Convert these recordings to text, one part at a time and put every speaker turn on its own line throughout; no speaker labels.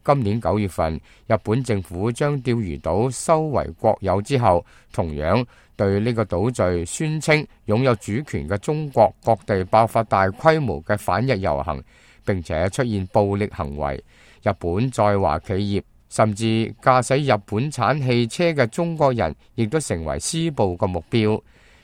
今年9月份，日本政府將釣魚島收為國有之後，同樣對呢個島嶼宣稱擁有主權嘅中國各地爆發大規模嘅反日遊行，並且出現暴力行為。日本在華企業甚至駕駛日本產汽車嘅中國人，亦都成為施暴嘅目標。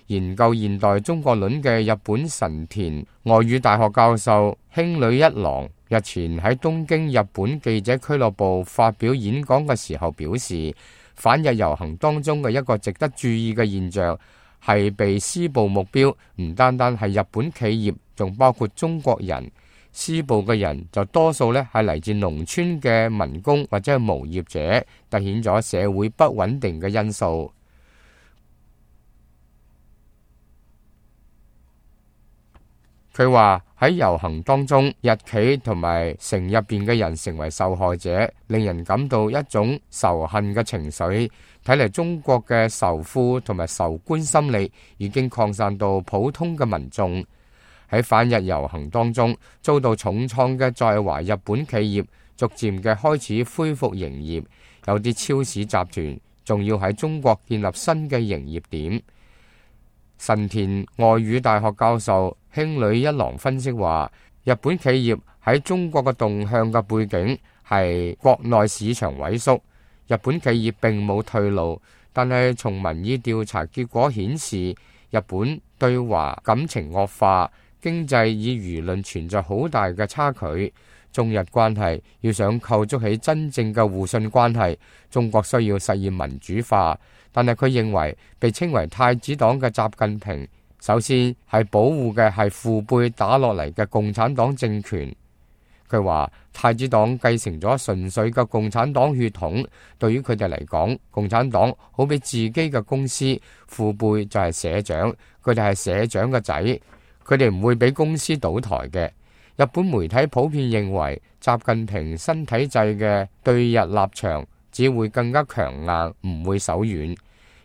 研究現代中國論嘅日本神田外語大學教授興呂一郎日前喺東京日本記者俱樂部發表演講嘅時候表示，反日遊行當中嘅一個值得注意嘅現象係被施暴目標唔單單係日本企業，仲包括中國人。施暴嘅人就多數係嚟自農村嘅民工或者係無業者，凸顯咗社會不穩定嘅因素。佢話喺遊行當中，日企同埋城入邊嘅人成為受害者，令人感到一種仇恨嘅情緒。睇嚟中國嘅仇富同埋仇官心理已經擴散到普通嘅民眾。喺反日遊行當中遭到重創嘅在華日本企業，逐漸嘅開始恢復營業，有啲超市集團仲要喺中國建立新嘅營業點。神田外語大學教授興呂一郎分析話，日本企業喺中國嘅動向嘅背景係國內市場萎縮，日本企業並冇退路，但係從民意調查結果顯示，日本對華感情惡化，經濟與輿論存在好大嘅差距。中日關係要想構築起真正嘅互信關係，中國需要實現民主化。但係佢認為，被稱為太子黨嘅習近平，首先係保護嘅係父輩打落嚟嘅共產黨政權。佢話太子黨繼承咗純粹嘅共產黨血統，對於佢哋嚟講，共產黨好比自己嘅公司，父輩就係社長，佢哋係社長嘅仔，佢哋唔會俾公司倒台嘅。日本媒體普遍認為，習近平新體制嘅對日立場只會更加強硬，唔會手軟。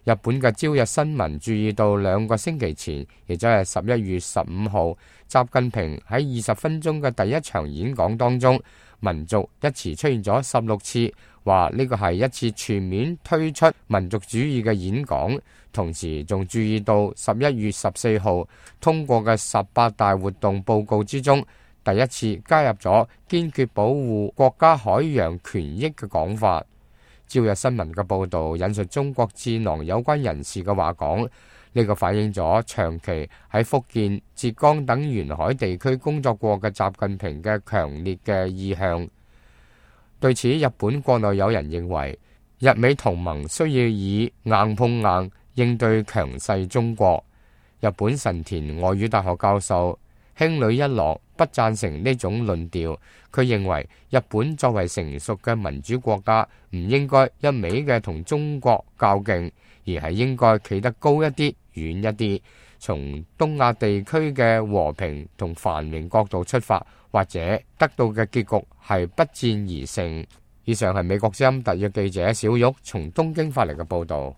日本嘅朝日新聞注意到2個星期前，亦即係11月15號，習近平喺20分鐘嘅第一場演講當中，民族一詞出現咗16次，話呢個係一次全面推出民族主義嘅演講。同時仲注意到11月14號通過嘅18大活動報告之中，第一次加入咗堅決保護國家海洋權益嘅講法。朝日新聞嘅報導引述中國智囊有關人士嘅話講，呢個反映咗長期喺福建、浙江等沿海地區工作過嘅習近平嘅強烈嘅意向。對此，日本國內有人認為，日美同盟需要以硬碰硬應對強勢中國。日本神田外語大學教授興呂一郎不贊成呢種論調，佢認為日本作為成熟嘅民主國家，唔應該一味嘅同中國較勁，而係應該企得高一啲、遠一啲，從東亞地區嘅和平同繁榮角度出發，或者得到嘅結局係不戰而勝。以上係美國之音特約記者小玉從東京發嚟嘅報導。